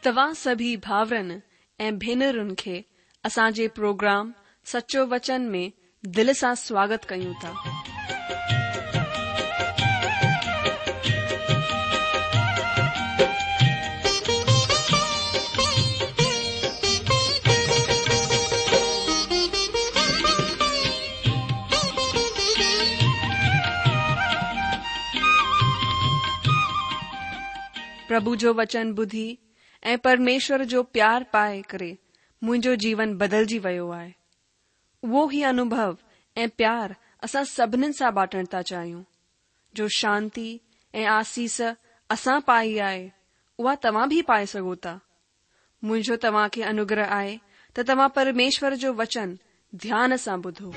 توهان سڀئي ڀاورن ۽ ڀينرن کي اسان جي پروگرام سچو وچن ۾ دل سان سواگت ڪيون ٿا. پرڀو جو وچن ٻڌي ۽ پرميشور جو پيار پائي ڪري منهنجو جيون بدلجي ويو آهي. اهو ئي انوڀو ۽ پيار اسان سڀنين سان بانٽڻ ٿا چاهيون. جو شانتي ۽ آسيس اسان پائي آهي، اها توهان به پائي سگهو ٿا. منهنجو توهان کي انوگره آهي ته توهان پرميشور جو وچن ڌيان سان ٻڌو.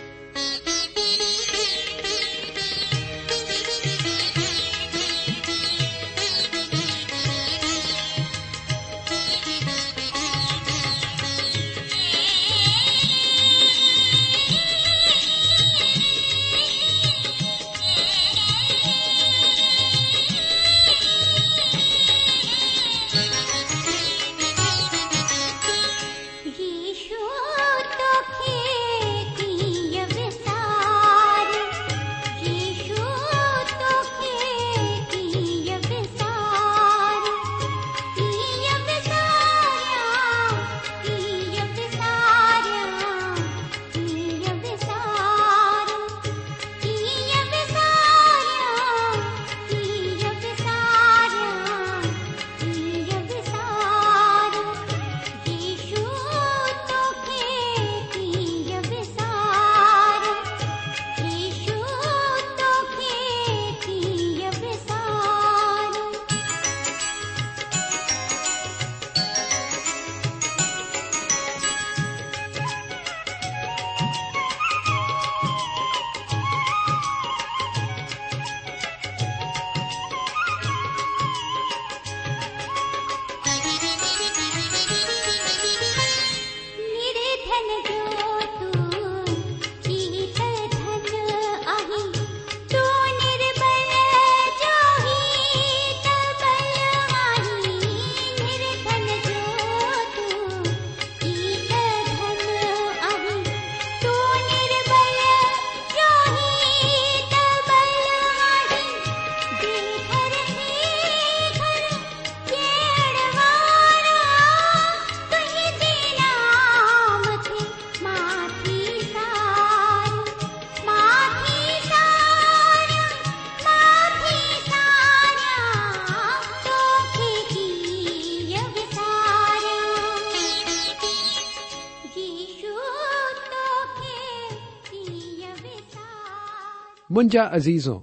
منهنجا عزيزو،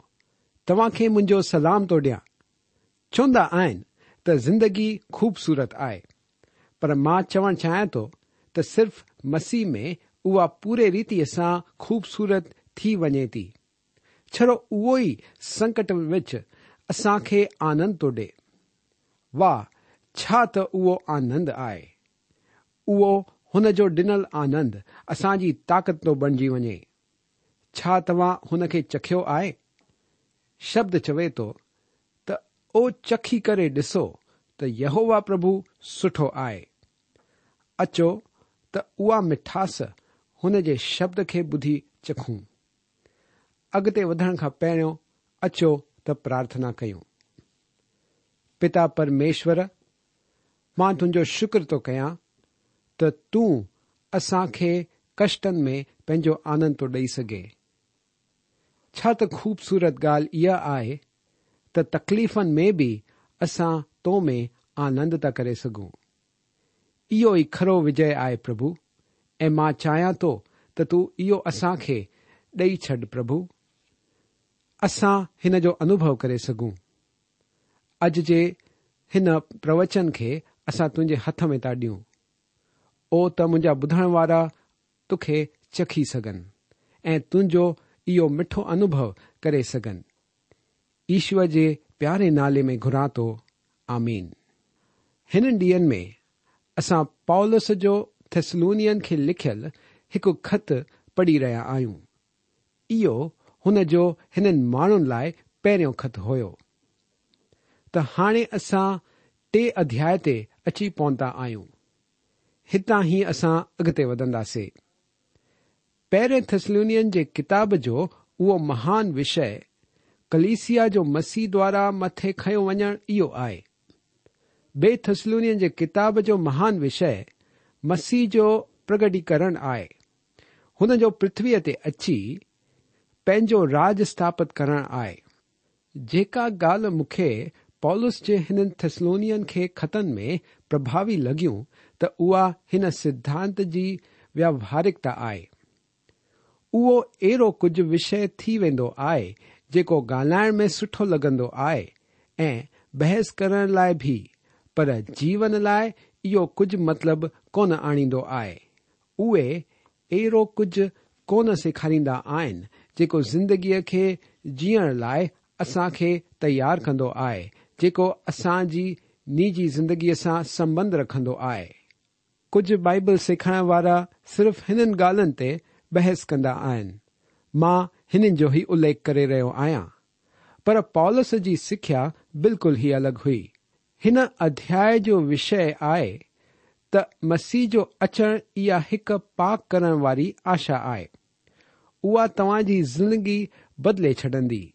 توهان کي منهنجو سلام ٿو ڏيان. چوندا آهن ته زندگي خوبصورت آهي، پر مان چوڻ چاهيان ٿو ته صرف مسيح ۾ اها پوري ريتيء سان خوبصورت ٿي وڃي ٿي. ڇڙو اهو ئي سنڪٽ وچ اسان کي آنند ٿو ڏي. واهه ڇا ته اهو آنند آهي. اهو هن جو ڏنل آنند اسان جي طاقت ٿو بڻجي وڃي. ڇا توهان هن کي چکيو آهي؟ شبد چوي ٿو ته او چکي ڪري ڏسو ته يهوه پرڀو سٺو آهي. اچو ته اها مٺاس هن جي شبد کي ٻڌي چکون. اڳتي وڌڻ کان پهريون اچو ته پرارٿنا ڪيون. پتا پرميشور، مان تنهنجو شڪر ٿو ڪيان ته تون اسان کي ڪشٽن ۾ پنهنجو آنند ٿو ڏئي سگهين. ڇا ته خوبصورت ڳالهه اها آهي ته تڪليفن ۾ به اسان تو ۾ آنند ٿا ڪري سگهون. اهو ئي کرو وجي آهي پرڀو ۽ مان چاهيان ٿو ته تون اهو اسان کي ڏئي ڇڏ پرڀو. اسان هن جو انوڀو ڪري سگهون. اڄ جي هن پروچن کي اسان تنهنجي هٿ ۾ ٿا ڏيون. او ته منهنجا ٻڌڻ وارا توکي چکي سگهن ۽ تنهنجو اهو مٺو انوڀو ڪري سگهن. يشوء جي پياري نالي ۾ گهران ٿو، آمين. هنن ڏينهن ۾ اسان پولس جو ٿيسلونين کي لکيل هڪ خط پڙهي رهيا آهيون. اهو هن جو هنن ماڻهن لاء پهريون خط هيو. ته هاڻي اسان ٽي اڌياء تي اچي پهتا آهيون. هتان ئي اسان اڳتي وڌنداسي. پهرين ٿسلونين جي ڪتاب جو اهو مهان وشيه ڪليسيا جو مسيح دوارا مٿي کنيو وڃڻ اهو آهي. ٻئي ٿسلونين جي ڪتاب جو مهان وشيه مسيح جو پرگٽيڪرڻ آهي. هن جو پرٿويء تي اچي پنهنجو راڄ اسٿاپت ڪرڻ آهي. جيڪا ڳالهه مون کي پولس جي هنن ٿسلونين کي خطن ۾ پرڀاوي لڳيون ته اها هن سڌانت جي وياوهارڪتا آهي. اهو اهڙو ڪجهه وشيه ٿي ويندو آهي جيڪو ڳالهائڻ ۾ سٺو لڳندو آهي ۽ بحث ڪرڻ لاء به پر جيون لاء اهو ڪجهه مطلب ڪونه آڻيندو آهي. اهي اهڙو ڪجهه ڪونه سيکاريندا آهن جيڪو زندگيء کي جيئڻ لاء اسان کي تيار ڪندو آهي، جيڪو اسان جي نجي زندگيء سان سنٻنڌ رکندو آهي. ڪجهه بائيبل سيکارڻ وارا صرف هنن ڳالهين تي بحث ڪندا آهن. مان هنن جو ئي اليک ڪري رهيو آهيان. پر پولس جي سکيا بلڪل ئي الڳ هئي. هن اڌياء جو وشيه آهي ته مسيح جو اچڻ اها هڪ پاڪ ڪرڻ واري آشا آهي. اها توهان جي زندگي بدلي ڇڏندي.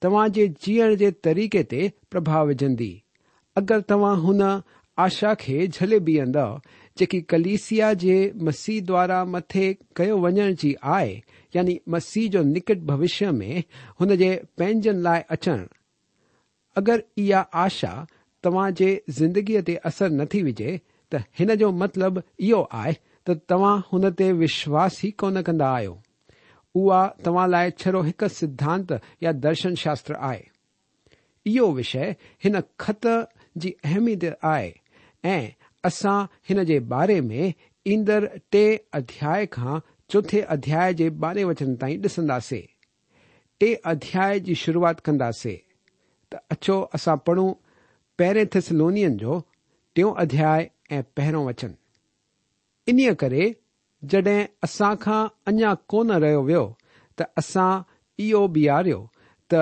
توهان جي جيئڻ جي طريقي تي پرڀاء وجهندي. اگر توهان هن آشا کي جهلي بيهندؤ جيڪي ڪليسيا جي مسيح دوارا مٿي ڪيو وڃڻ جي آهي يعني مسيح جو نڪٽ ڀوشيه ۾ هن جي پنهنجن لاء اچڻ، اگر اها آشا توهان جي زندگيء تي اثر نٿي وجهي ته هن جو مطلب اهو آهي ته توهان هن تي وشواس ئي ڪونه ڪندا آهيو. اها توهان لاء ڇڙو هڪ سڌانت يا درشن شاستر آهي. اهو وشيه هن خط جي اهميت آهي ۽ اسان هن جي باري ۾ ايندڙ ٽئين اڌياء کان چوٿين اڌياء جي ٻارهين وچن تائين ڏسنداسي. ٽئين اڌياء جي شروعات ڪنداسي ته اچو اسان پڙهون پهرين ٿيسلونين جو ٽيون اڌياء ۽ پهريون وچن. انهيء ڪري جڏهن اسان کان اڃا ڪونه رهيو ويو ته اسان اهو بيهاريو ته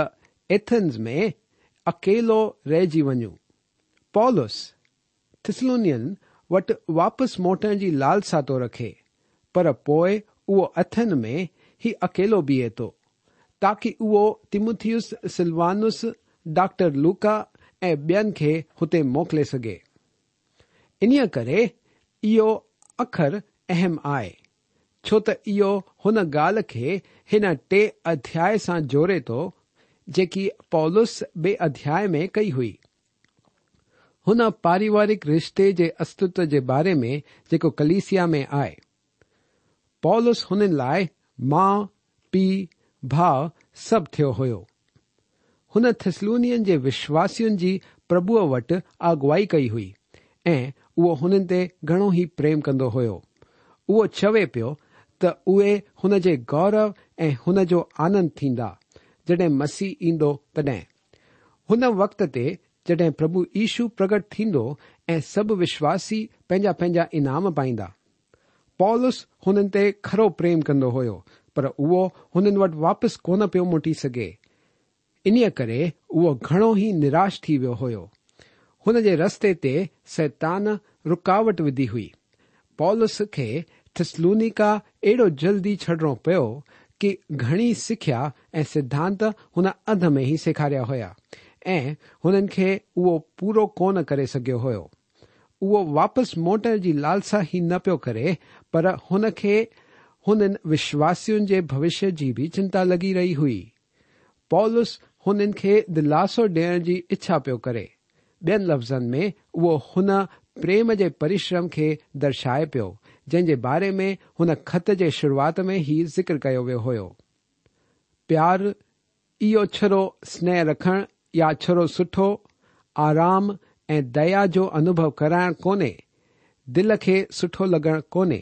ايٿنز ۾ اڪيلو رهجي وڃون. پولس ٿسلونين وٽ واپس موٽڻ جي لالسا ٿو رکي، پر پوء اهو اٿن ۾ ئي اڪيلو بيهي ٿو، تاڪي اهو تيموٿيوس، سلوانس، ڊاڪٽر لوڪا ۽ ٻين کي هتي موڪلي سگهي. انهيء ڪري اهو اکر اهم آهي، ڇو ته اهو هن ڳالهه کي هن ٽئين اڌياء سان جوڙي ٿو، جيڪي پولس ٻئي اڌياء ۾ ڪئي هئي. هن پاريوارڪ رشتي جي استتو جي باري ۾ جيڪو ڪليسيا ۾ آهي. پولس هنن لاء ماء، پيء، ڀاء سڀ ٿيو هيو. هن ٿسلونين جي وشواسين جي پرڀوء وٽ اڳواڻي ڪئي هئي ۽ اهو هنن تي گهڻو ئي پريم ڪندو هيو. اهو چوي پيو ته اهي هن جي گورو ۽ هن جو آنند ٿيندا، جڏهن مسيح ايندو تڏهن. هن وقت تي جڏهن پرڀو يشو پرگٽ ٿيندو ۽ سڀ وشواسي پنهنجا پنهنجا انعام پائيندا. پولس هنن تي کرو پريم ڪندو هيو، پر اهو هنن وٽ واپس ڪونه پيو موٽي سگهي. انهيء ڪري اهو گهڻو ئي نراش ٿي ويو هيو. هن جي رستي تي شيطان رڪاوٽ وڌي هئي. پولس کي ٿسلونيڪا اهڙو جلدي ڇڏڻو پيو ڪي گهڻي سکيا ۽ سڌانت هن اڌ ۾ ئي سيکاريا هيا ۽ هنن کي اهو پورو ڪونه ڪري سگهيو هيو. اهو واپس موٽڻ جي لالسا ئي نه پيو ڪري پر هن کي هنن وشواسين جي ڀوشيه جي به چنتا لڳي رهي هئي. پولس هنن کي دلاسو ڏيڻ جي اڇا پيو ڪري. ٻين لفظن ۾ اهو هن پريم جي پرشرم کي درشائي پيو، جنهن جي باري ۾ هن خط جي شروعات ۾ ئي ذڪر ڪيو ويو هيو. پيار اهو ڇڙو سنيهه رکڻ يا ڇڙو سٺو، آرام ۽ ديا جو انوڀو ڪرائڻ ڪونهي، دل کي سٺو لڳڻ ڪونهي.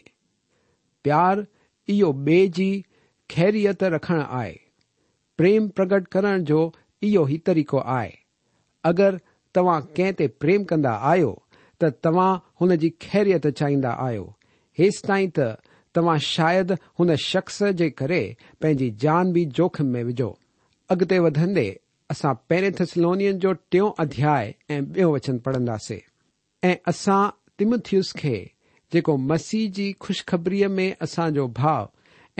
پيار اهو ٻئي جي خيريت رکڻ آهي. پريم پرگٽ ڪرڻ جو اهو ئي طريقو آهي. اگر توهان ڪنهن تي پريم ڪندا آهيو ته توهان هن جي خيريت چاهيندا آهيو، هيستائين ته توهان شايد هن شخص جي ڪري پنهنجي جان به جوکم ۾ وجهو. اڳتي وڌندي اسان پهرين ٿسلونين جو ٽيون اڌياء ۽ ٻيون وچن پڙهنداسي. ۽ اسان تيمٿيوس کي، جيڪو مسيح جي خوشخبريء ۾ اسان جو ڀاء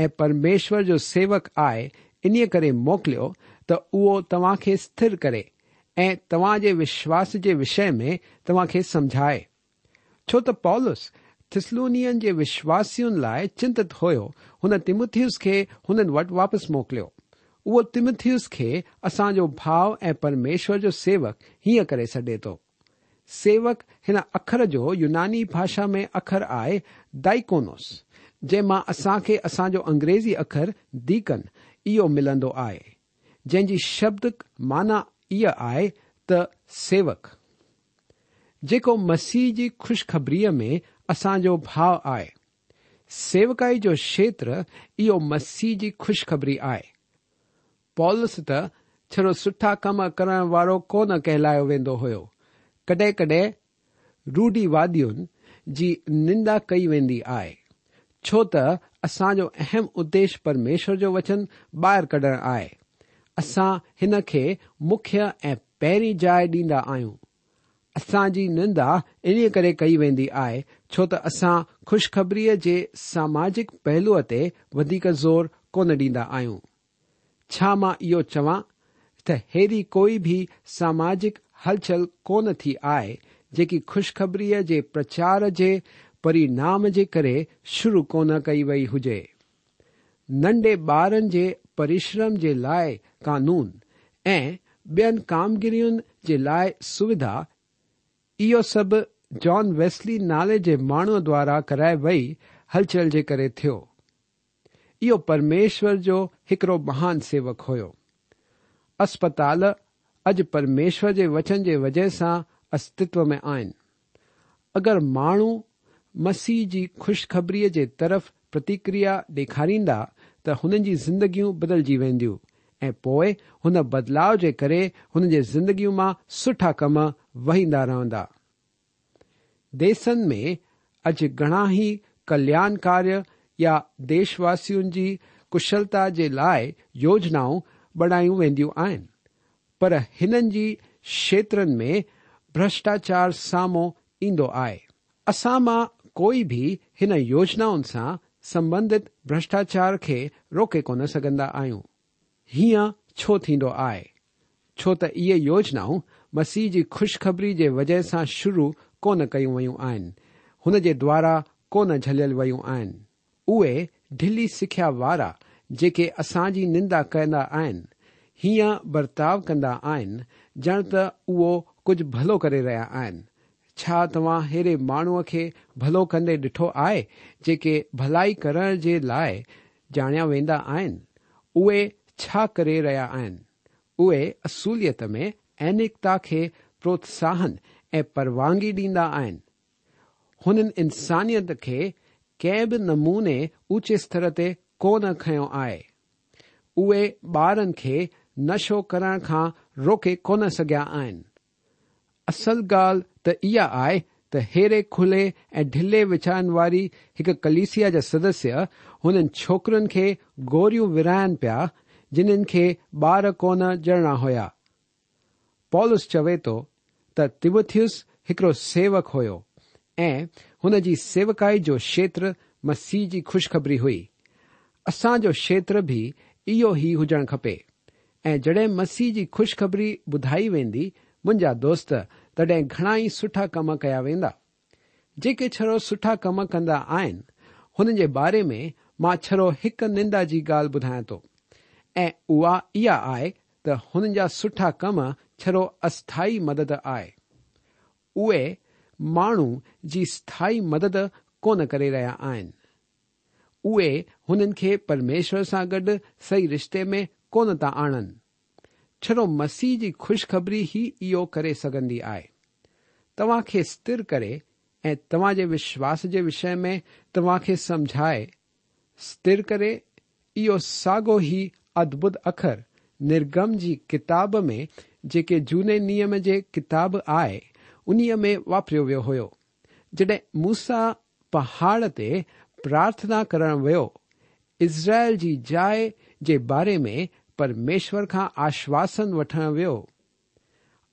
۽ پرميشور جو سيوڪ آهي، انهيء ڪري موڪليو ته اهو توهان کي سٿر ڪري ۽ توهان جي وشواس جي وشي ۾ توهان کي سمجهائي. ڇو ته پولس ٿسلونين جي وشواسين لاء چنتت هيو، هن تيمٿيوس کي هنن وٽ واپس موڪليو. اهو تيمٿيوس کي اسان جو ڀاء ۽ پرميشور جو سيوڪ هيئن ڪري سڏي ٿو. سيوڪ هن اکر جو يوناني ڀاشا ۾ اکر آهي دائيڪونوس، جنهن مان اسان کي اسان جو انگريزي اکر Deacon اهو ملندو آهي، جنهن جي شبدڪ معنيٰ اها آهي ته سيوڪ، جيڪو مسيح جي خوشخبريء ۾ اسان جو ڀاء آهي. سيوڪائي جو کيتر اهو مسيح جي خوشخبري آهي. پولس ته ڇڙو سٺا ڪم ڪرڻ وارو ڪونه ڪهلايو ويندو هيو. ڪڏهن ڪڏهن روڙهيوادين جي نندا ڪئي ويندي آهي. ڇو ته اسان جو اهم اديش پرميشور جو وچن ٻاهر ڪڍڻ آهي. اسان هن کي مکيه ۽ پهرين جاء ڏيندا آهيون. اسان جي نندا انهيء ڪري ڪئي ويندي آهي ڇو ته اسان خوشخبريء جي ساماجڪ پهلوء تي وڌيڪ زور ڪونه ڏيندا آهيون. ڇا مان اهو چوان ته ههڙي ڪوئي به ساماجڪ هلچل ڪونه ٿي آهي جيڪي خوشخبريء جي پرچار جي پرينام جي ڪري شروع ڪونه ڪئي وئي هجي. ننڍي ٻارن جي پرشرم جي لاء قانون ۽ ٻين ڪامگيرين جي لاء سوڌا، اهو سڀ جان ويسلي نالي جي ماڻهوء دوارا ڪرائي وئي هلچل جي ڪري ٿيو. اهو پرميشور جو هڪڙو مهان سيوڪ هيو. اسپتال اڄ پرميشور جي وچن جي وجهه سان استتو ۾ آهن. اگر ماڻهو مسيح جي خوشخبريء جي طرف پرتڪريا ڏيکاريندا ته هنن جي زندگيون بدلجي وينديون ۽ پوء هن بدلاء جي ڪري هنن جي زندگيون مان سٺا ڪم وهيندا رهندا. ديسن ۾ اڄ گهڻا ئي ڪلياڻ ڪاريه يا ديشواسين جي ڪشلتا جي لاء يوجنائون بڻايون وينديون آهن پر هنن جي کيترن ۾ ڀرشٽاچار سامهون ايندو آهي. اسان مان ڪوئي به هن يوجنائن سان سنٻنڌت ڀرشٽاچار کي روڪي ڪونه سگهندا آهيون. هيئن ڇو ٿيندو آهي؟ ڇو ته اهي يوجنائون مسيح جي خوشخبري جي وجهه سان شروع ڪونه ڪيون ويون آهن، هن جي دوارا ڪونه جهليل ويون آهن. اهي ڍلي سکيا وارا جيڪي اسان جي نندا ڪندا آهن، هيئن برتاء ڪندا آهن ڄڻ ته اهو ڪجهه ڀلو ڪري رهيا آهن. ڇا توهان ههڙي ماڻهوء کي ڀلو ڪندي ڏٺو آهي جيڪي ڀلائي ڪرڻ جي لاء ڄاڻيا ويندا آهن؟ اهي ڇا ڪري رهيا آهن؟ اهي اصليت ۾ انيڪتا کي پروتساهن ۽ پروانگي ڏيندا آهن. هنن انسانيت کي ڪنهن به نموني اوچي استر تي ڪونه کنيو آهي. اهي ٻارن کي نشو ڪرڻ کان روڪي ڪونه سگهيا آهن. اصل ڳالهه ته اها آهي ته ههڙي کلي ۽ ڍلي ويچارن واري هڪ ڪليسيا جا سدسيه هنن ڇوڪرين کي گوريون ورهائن پيا جنن کي ٻار ڪونه ڄڻڻا هيا. پولس چوي ٿو ته تيمٿيوس هڪڙو سيوڪ هيو ۽ هن جي سيوڪائي جو کيتر مسيح جي خوشخبري هئي. اسان جو کيتر به اهو ئي هجڻ کپي ۽ جڏهن مسيح جي خوشخبري ٻڌائي ويندي منهنجا دوست تڏهن گهڻا ئي سٺا ڪم ڪيا ويندا. جيڪي ڇڙو سٺا ڪم ڪندا آهن، هنن جي باري ۾ مان ڇڙو هڪ نندا جي ڳالهه ٻڌايان ٿو ۽ اها اها آهي ته هنن جا سٺا ڪم ڇڙو اسٿائي مدد آهي. اهي ماڻهو جي اسٿائي مدد ڪونه ڪري رهيا آهن. اهي هنن کي پرميشور سان گڏ صحيح رشتي ۾ ڪونه ٿا آڻن. ڇڙو مسيح جي خوشخبري ئي اهو ڪري سگهندي آهي. توهان کي سٿر ڪري ۽ توهان جي وشواس جي وشي ۾ توهان کي سمجهائي، سٿر ڪري، اهو ساڳو ئي ادڀت اکر نرگم جي ڪتاب ۾ جيڪي جهوني نيم جي ڪتاب آهي انهيء ۾ واپريو ويو هيو. جڏهن موسيٰ پهاڙ تي پرارٿنا ڪرڻ ويو، اسرائيل جي جاء جي باري ۾ پرميشور کان آشواسن وٺڻ ويو.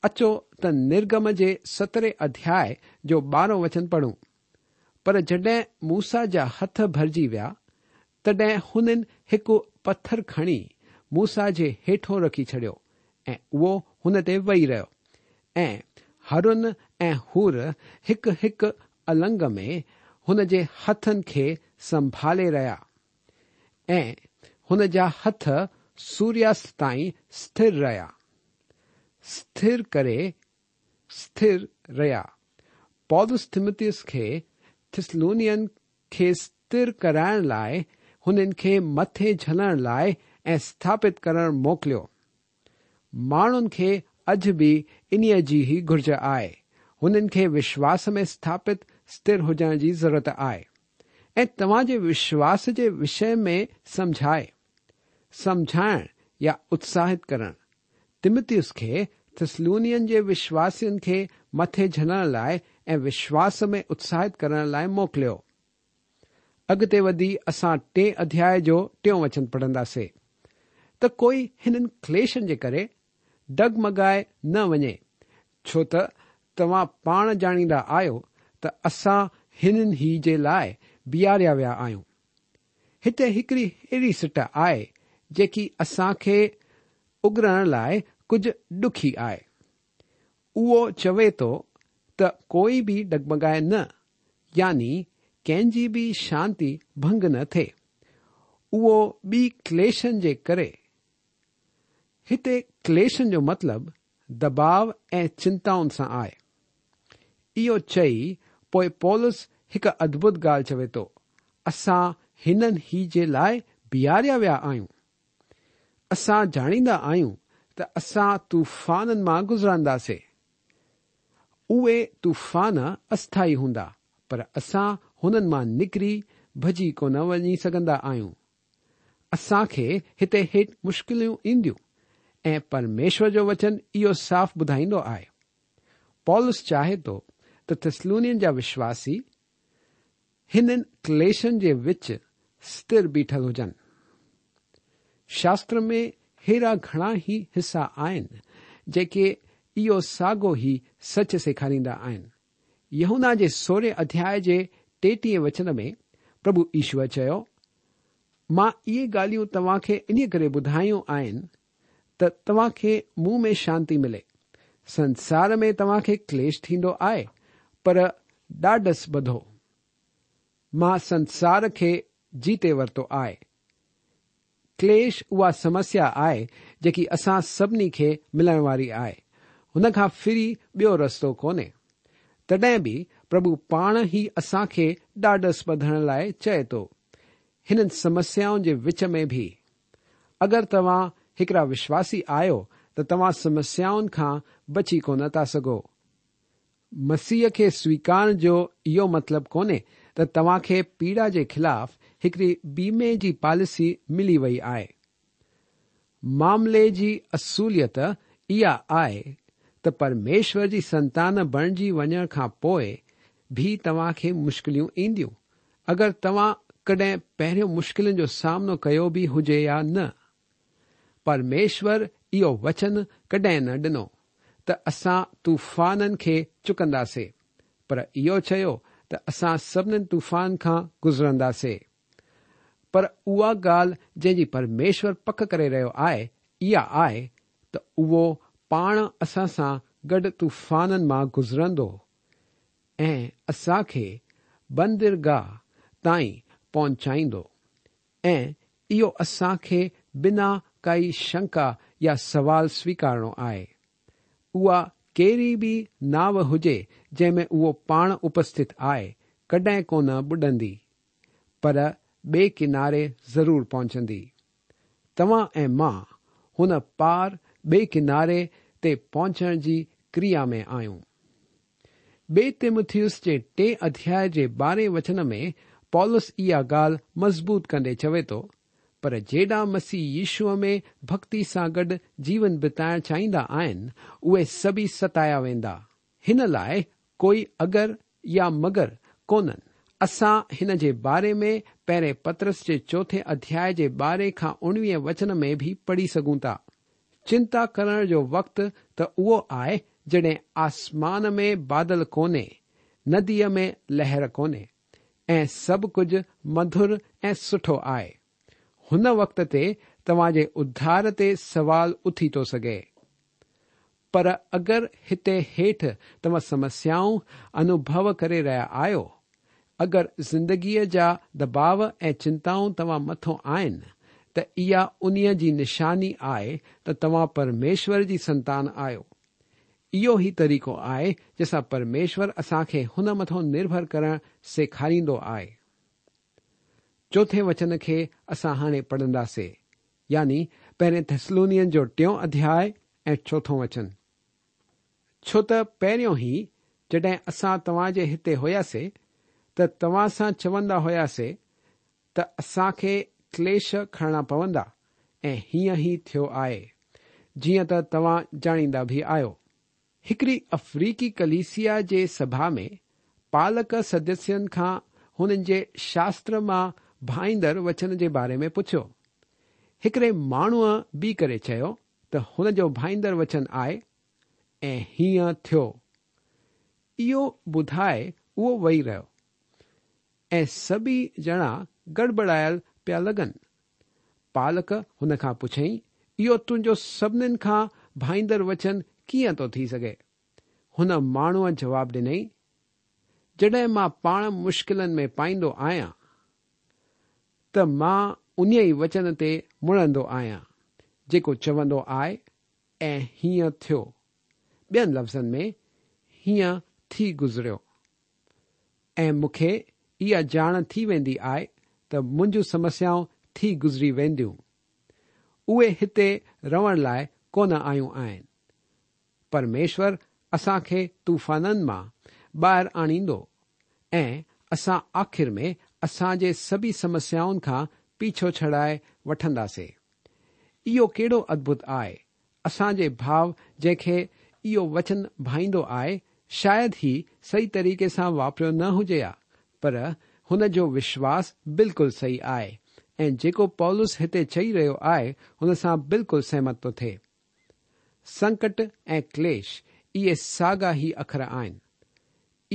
اچو ته نرگم جي سترهين اڌياء جو ٻارهون وچن پڙهون. پر جڏهن موسيٰ جا هٿ ڀرجي ويا، تڏهن هنن هڪ پٿر کڻي موسيٰ جي هيٺون رکي ڇڏيو ۽ اهو هن تي ويهي رهيو ۽ هارون ۽ حور هڪ هڪ النگ ۾ هن جي هٿن کي سنڀالي رهيا ۽ هن جا هٿ سورياست تائين سٿر رهيا. سٿر ڪري سٿر رهيا. پولس تيمٿيس کي ٿسلونين کي سٿر ڪرائڻ لاء هنن کي مٿي جهلڻ لاء ۽ سٿاپت ڪرڻ موڪليو. ماڻهن کي اڄ به انهيء جي ئي گهرج آهي. هنن کي وشواس ۾ سٿاپت سٿر هجڻ جي ضرورت آهي ۽ توهان جي وشواس جي وشي ۾ سمجهائي، سمجهائڻ يا اتساهت ڪرڻ. تيمٿيس کي ٿسلونين جي وشواسين کي مٿي جهلڻ لاء ۽ وشواس ۾ اتساهت ڪرڻ لاء موڪليو. اڳتي وڌي اسان ٽئين اڌياء جو ٽيون وچن پڙهنداسي ته ڪوئي هنن ڪليشن جي ڪري ڊگمگائي نه وڃي، ڇو ته توهان پاڻ ڄاڻيندا آهيو ته اسان هنن ئي جي لاء بيهاريا ويا آهيون. هتي هڪڙي اهڙي سٽ آهي جيڪي اسان کي اڳرڻ لاء ڪجهه ڏکي آهي. اهو چوي ٿو ته ڪوئي به ڊگمگائي نه يعني ڪنهن جي به شانتي ڀنگ نه ٿئي. اهو به ڪليشن جي ڪري. هتي ڪليشن جو مطلب دٻاء ۽ چنتائن سان آهي. اهو چئي پوء پولس هڪ ادڀت ڳالهه چوي ٿو، اسان هنن ئي جي لاء بيهاريا ويا آهيون. اسان ڄاڻيندا آهيون ته اسان طوفانن مان گذرنداسي. اهي طوفان اسٿائي هوندا، پر اسان هنن مان نڪري ڀڄي ڪونه وڃي سگهندا آهيون. اسان کي هتي هيٺ مشڪلون اينديون ۽ پرميشور جو وچن اهو صاف ٻڌائيندو آهي. پولس چاهي ٿو ته ٿسلونين جا وشواسي هنن ڪليشن جي وچ سٿر بيٺل هجن. شاستر ۾ ههڙا گهڻا ئي حصا آهن جيڪي اهو ساڳو ئي سچ سيکاريندا آهن. يوحنا جي سورهين اڌياء جي ٽيٽيهين وچن ۾ پرڀو يشوء چيو، مان اهي ڳالهيون توهان کي انهيء ڪري ٻڌايون آهن ته توهان کي مون ۾ شانتي ملي. سنسار ۾ توهان کي ڪليش ٿيندو آهي، پر ڏاڍس ٻڌو. مان سنسار کي جيتي ورتو آهي. ڪليش اها سمسيا آهي جيڪي اسان سڀني کي ملڻ واري آهي. هن کان ڦري ٻيو رستو ڪونهي. تڏهن به پرڀو پاڻ ئي اسان کي ڏاڍس ٻڌڻ لاء چئي ٿو. هنن سمسيائن جي وچ ۾ به. اگر توهان هڪڙا وشواسي آهيو ته توهان سمسيائن کان بچي ڪونه ٿا سگهو. مسيح کي سويڪارڻ جو اهو مطلب ڪونهي ته توهان کي پيڙا جي خلاف هڪڙي بيمي جي پاليسي ملي وئي آهي. معاملي جي اصليت اها آهي ته پرميشور جي سنتان بڻجي وڃڻ کان پوء به توهان کي مشڪليون اينديون، اگر توهان ڪڏهن پهريون مشڪلن جو سامنو ڪيو به هجي يا نه. پرميشور اهو وچن ڪڏهن نه ڏنو ته اسان طوفانن کي چڪنداسي، پر اهو چيو ته اسان سڀنين طوفان کان گذرنداسي. پر اها ڳالهه جنهن جي پرميشور پڪ ڪري رهيو آهي، اها آهي ته اهو پاڻ اسان سان گڏ طوفانن مان گذرندو ۽ اسان کي بندرگاهه تائين پهچائيندو. ۽ اهو اسان کي بنا ڪائي شنڪا يا سوال سويڪارڻو آهي. اها ڪهڙي به ناو هجي جنهن ۾ اهو پاڻ اپسٿت آهي، ڪڏهن ڪونه ٻڏندي، پر ٻئي ڪناري ضرور پهچندي. توهان ۽ مان هن پار ٻئي ڪناري تي پهچڻ جي ڪريا ۾ آهيون. ٻئي تيموٿيوس جي ٽئين اڌياء جي ٻارهين وچن ۾ پولس اها ڳالهه مضبوط ڪندي چوي ٿو، پر جيڏا مسيح يشوع ۾ ڀڳتي سان گڏ جيون بتائڻ چاهيندا آهن، اهي سڀئي ستايا ويندا. هن لاء ڪوئي اگر يا مگر ڪونهن. اسان هن جي باري ۾ پهرين پطرس جي چوٿين اڌياء جي ٻارهين کان اڻويهين وچن ۾ به پڙهي سگهون ٿا. چنتا ڪرڻ جو وقت ته اهو آهي جڏهن آسمان ۾ بادل ڪونهي، نديء ۾ لهر ڪونهي ۽ سڀ ڪجهه مڌر ۽ سٺو آهي. هن وقت تي توهان جي اڌار تي سوال اٿي ٿو سگهي. پر اگر هتي هيٺ توهان سمسيائون انوڀو ڪري رهيا آهيو، اگر زندگيء جا دٻاء ۽ چنتائون توهان مٿون آهن ته اها انهيء جي نشاني آهي ته توهان پرميشور جي سنتان آهيو. اهو ئي طريقو آهي جنهن سان پرميشور اسان کي هن مٿون نرڀر ڪرڻ سيکاريندو آهي. چوٿين وچن کي اسان هاڻي پڙهنداسي، يعني پهرين ٿيسلونين جو ٽيون اڌياء ۽ چوٿون وچن. ڇو ته پهريون ئي جڏهن اسان توهان جي هتي هياسي ته توهان سان چوندا هياسي ته اسان کي ڪليش کڻڻا پوندا ۽ هيئن ئي ٿيو آهي، جيئن ته توهان ڄاڻيندا به آهيو. هڪڙي افريقي ڪليسيا جي سڀا ۾ پالڪ سدسين کان هنن جي شاستر مان ڀائيندڙ وچن جي باري ۾ پڇيو. هڪڙي ماڻهوء بيهي ڪري چيو ته هن جو ڀائيندڙ وچن آهي ۽ هيئن ٿيو. اهو ٻڌائي اهو ويهي رهيو ۽ سڀئي ڄڻا گڙٻڙايل پيا لڳن. پالڪ هن کان پڇيائين، اهو تنهنجو سڀنين کان ڀائيندڙ وچن ڪيئن ٿو ٿي سگهي؟ هن ماڻهوء جواب ڏنائين، جڏهن مان پاڻ مشڪلن ۾ پائيندو آهيان ته مان انهيء وچن تي مڙندو آهيان، جيڪو چوندو آهي ۽ هيئن ٿيو. ٻين لفظن ۾ هيئن ٿي گذريو. ۽ مون کي اها ڄاڻ ٿي ويندي آهي ته منهنجون سمسيائون ٿي گذري وينديون. اهي هتي رهڻ لاء ڪونه آيون آهن. پرميشور اسان کي طوفانن مان ٻاهر آڻيندو ۽ اسان آخر ۾ اسان جي سڀي سمسيائن کان پيڇو ڇڏائي وٺنداسي. اهو ڪهڙو ادڀت آهي! اسان جي ڀاء جنهن کي اهو وچن ڀائيندو آهي، شايد هي صحيح طريقي سان واپريو نه هجي ها، پر هن جو وشواس بلڪل صحيح آهي ۽ جيڪو پولس هتي چئي رهيو آهي، هن سان بلڪل سهمت ٿو ٿئي. سنڪٽ ۽ ڪليش اهي ساڳا ئي اکر آهن.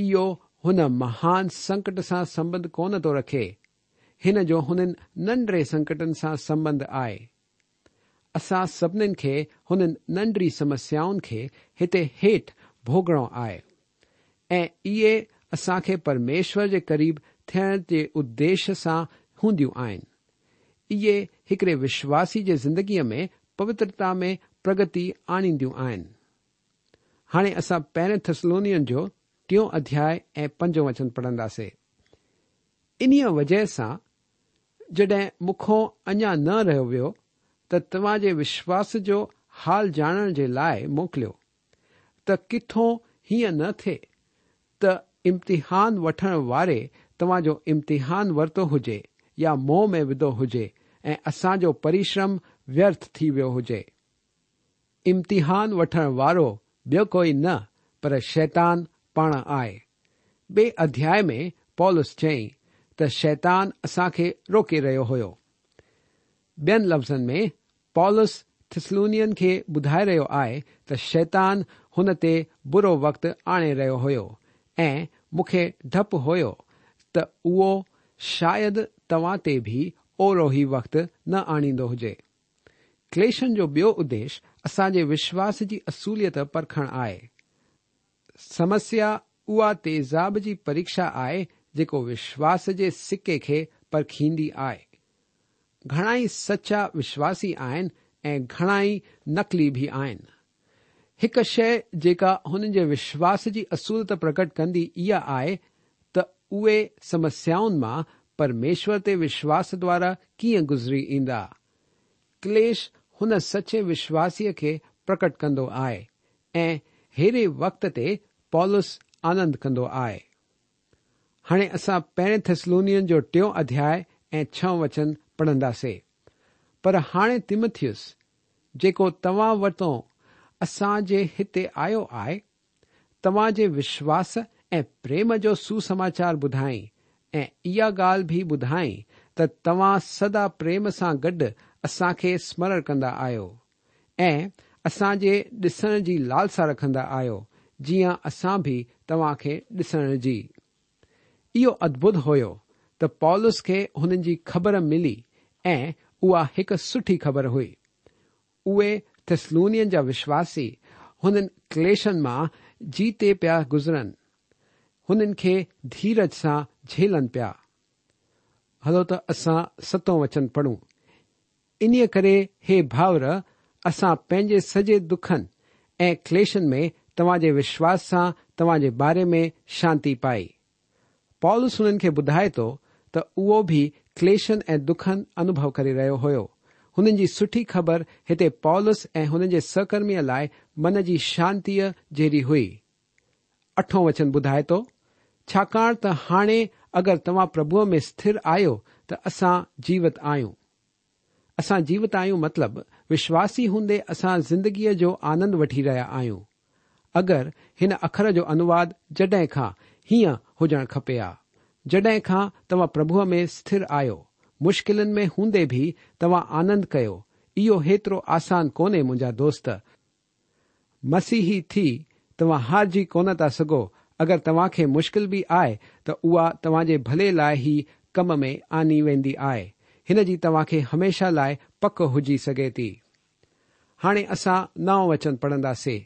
اهو هن مهان سنڪٽ سان سنٻنڌ ڪونه ٿو رکي، هن جو هنن ننڍڙي سنڪٽن سان سنٻنڌ آهي. اسان سڀنين کي هنن ننڍڙي سمسيائن کي هتي هيٺ ڀوڳڻو آهي ۽ اهي اسان کي پرميشور جي قريب ٿيڻ جي اديش سان هونديون آهن. اهي هڪڙي وشواسي جي زندگيء ۾ پوترتا ۾ پرگتي آڻينديون آهن. هاڻي اسان پهرين ٿسلونين جو ٽيون اڌياء ۽ پنجون وچن پڙهنداسي. انهيء وجهه سان جڏهن مون کان اڃا نه رهيو ويو ته توهان جي وشواس جو حال ڄاڻڻ جي لاء موڪليو ته ڪٿون هيئن نه ٿئي ته امتحان وٺڻ واري توهان جو امتحان ورتو هجي يا موهه ۾ وڌو هجي ۽ اسان جو پريشرم ويرٿ ٿي ويو هجي. امتحان وٺڻ وارو ٻيو ڪوئي نه پر شيطان پاڻ آهي. ٻئي اڌياء ۾ پولس چيائين ته شيطان اسان کي روڪي رهيو هيو. ٻين لفظن ۾ پولس ٿسلونين کي ٻڌائي رهيو آهي ته شيطان هن تي برو وقت آڻي رهيو هيو ۽ مون کي ڊپ هيو ته اهو شايد توهان تي به اوهڙو ئي وقت نه آڻيندو هجي. ڪليشن جو ٻيو اديش اسان جي وشواس جي اصوليت پرکڻ آهي. سمسيا اها تيزاب جي پريکشا آهي جيڪو وشواس جي سڪي کي پرکيندي آهي. گهڻائي سچا وشواسي آهن ۽ گهڻائي نقلي به آهن. هڪ شيء جيڪا هنن جي وشواس جي اصوليت پرگٽ ڪندي اها آهي ته اهي سمسيائن مان پرميشور تي وشواس دوارا ڪيئن گذري ايندا. ڪليش هن سچي وشواسيء کي پرڪٽ ڪندو آهي ۽ ههڙي وقت تي پولس آنند ڪندو آهي. هاڻي اسان پهرين ٿيسلونين جو ٽيون اڌياء ۽ ڇهون وچن پڙهنداسي. پر هاڻي تيمٿيس، جيڪو توهان وٽون اسان جي هتي آيو آهي، توهان جي وشواس ۽ پريم جو سوسماچار ٻڌائين ۽ اها ڳالهه به ٻڌائين ته توهان سدا پريم سان گڏ اسان کي سمرڻ ڪندا آهيو ۽ اسان جي ڏسڻ جي لالسا رکندا آهيو، جيئن اسان به توهان کي ڏسڻ جي. اهو ادڀت هيو ته پولس کي هنن جي خبر ملي ۽ اها هڪ سٺي خبر هئي. اهي ٿيسلونين جا وشواسي هنن ڪليشن مان جيتي پيا گذرن، هنن کي ڌيرج سان جهيلن پيا. هلو ته اسان ستون وچن پڙهون. انهيء ڪري هي ڀائر، اسان پنهنجي سڄي دکن ۽ ڪليشن ۾ توهان جي وشواس سان توهان جي باري ۾ شانتي پائي. پولس هنن کي ٻڌائي ٿو ته اهو به ڪليشن ۽ دکن انوڀو ڪري رهيو هيو. هنن جي سٺي خبر هتي پولس ۽ هن جي سهڪرميء لاء من جي شانتيء جهڙي هئي. اٺون وچن ٻڌائي ٿو، ڇاڪاڻ ته هاڻي اگر توهان پرڀوء ۾ سٿر آهيو ته اسان جيوت آهيون. اسان جيوت آهيون مطلب وشواسي هوندي اسان زندگيء جو آنند وٺي رهيا آهيون. اگر هن اکر جو انواد جڏهن کان هيئن هجڻ کپي ها، جڏهن کان توهان پرڀوء ۾ سٿر آهيو، مشڪلن ۾ هوندي به توهان آنند ڪيو، اهو هيترو آسان ڪونهي منهنجا دوست، مسيحي ٿي توهان هارجي ڪونه ٿا سگهو، اگر توهان کي مشڪل به آهي ته اها توهان جي ڀلي لاء ئي ڪم ۾ آني ويندي آهي، هن جي توهان کي هميشه لاء پڪ هجي سگهي ٿي. هاڻي اسان نائون وچن پڙهنداسي،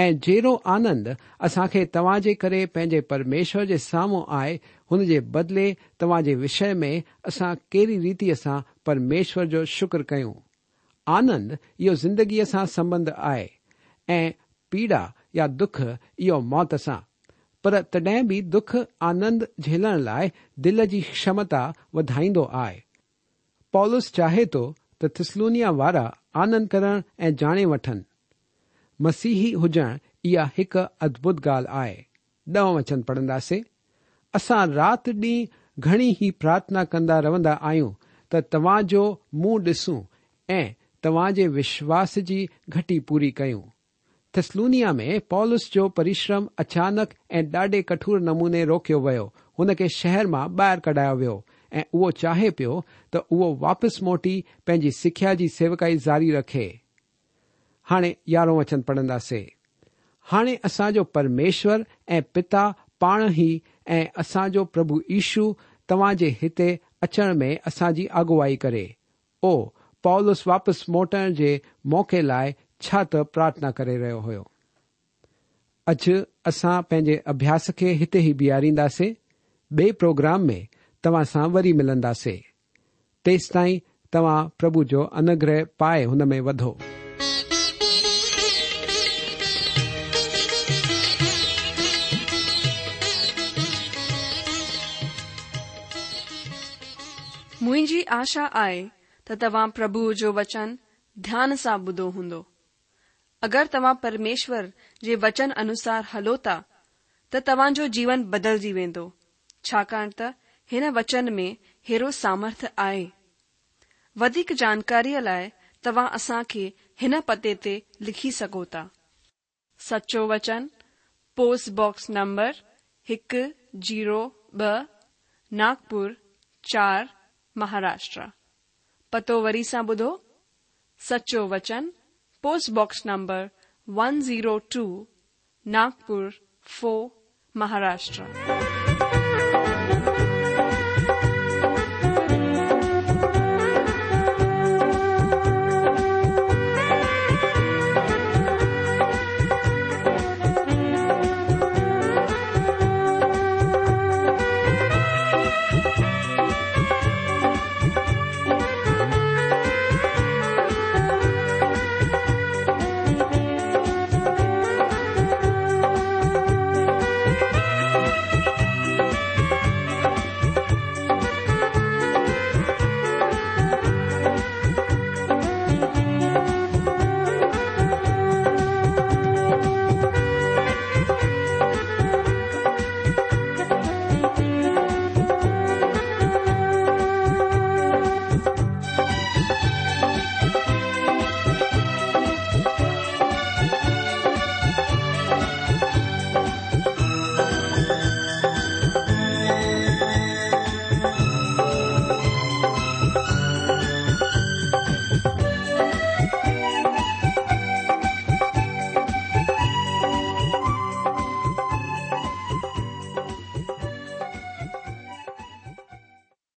۽ جهڙو آنند اسان کي توهان جي ڪري پنهنجي پرميشور جي سامهون آهي، هن جي بدلي توهان جي وشيه ۾ اسان ڪهڙي ريتيء سان پرميشور جو شڪر ڪيون؟ آنند اهو زندگيء سان سنٻنڌ آهي ۽ پيڙا يا دک اهو موت سان. پر تڏهن به دک آنند جهيلڻ لاء دل جي کشمتا وڌائيندو آهي. پولس چاهي ٿو ته ٿسلونيا وارا آنند ڪرڻ ۽ ڄاڻي وٺن. مسيحي هجڻ اها هڪ ادڀت ڳالهه آهي. ڏهون وچن پڙهنداسي. اسان رات ڏينهن گهڻي ئي پرارٿنا ڪندا رهندا آهيون ته توهان جو منهن ڏسون ۽ توهان جي وشواس جي گهٽي پوري ڪيون. ٿسلونيا ۾ پولس جو پرشرم اچانڪ ۽ ڏاڍي ڪٺور نموني روڪيو ويو، هن کي شهر مان ٻاهر ڪڍايو ويو ۽ اهو چاهي پيو ته اهو واپس موٽي پنهنجي سکيا جي سيوڪائي جاري رکي. هاڻي يارهون وچن پڙهنداسي. هاڻي اسان جو پرميشور ۽ پتا پاڻ ئي ۽ اسان جو پرڀو يشو توهان جي هتي اچڻ ۾ اسان جي اڳوائي ڪري. او، پولس واپس موٽڻ جي موقعي لاء ڇا ته پرارٿنا ڪري رهيو هيو. اڄ اسان پنهنجي اڀياس کي هتي ئي بيهارينداسي. ٻئي پروگرام ۾ توهان سان وري ملنداسي. تيستائين توهان پرڀو جو انوگره پائي هن ۾ وڌو. منهنجي آشا آهي ته توهان پرڀوء جو وچن ڌيان سان ٻڌو هوندو. اگر توهان پرميشور جي وچن انوسار هلو ٿا ته توهان جو جيون بدلجي ويندو ڇاڪاڻ ته هن وچن ۾ هيرو سامرٿ آهي. وڌيڪ جانڪاريء لاء توهان اسان کي هن پتي تي لکي سگهو ٿا. سچو وچن، پوسٽ باڪس نمبر هڪ زيرو ٻه، ناگپور چار، مهاراشٽرا. پتو وري سان ٻڌو، سچو وچن، post box number one zero two, Nagpur four, Maharashtra.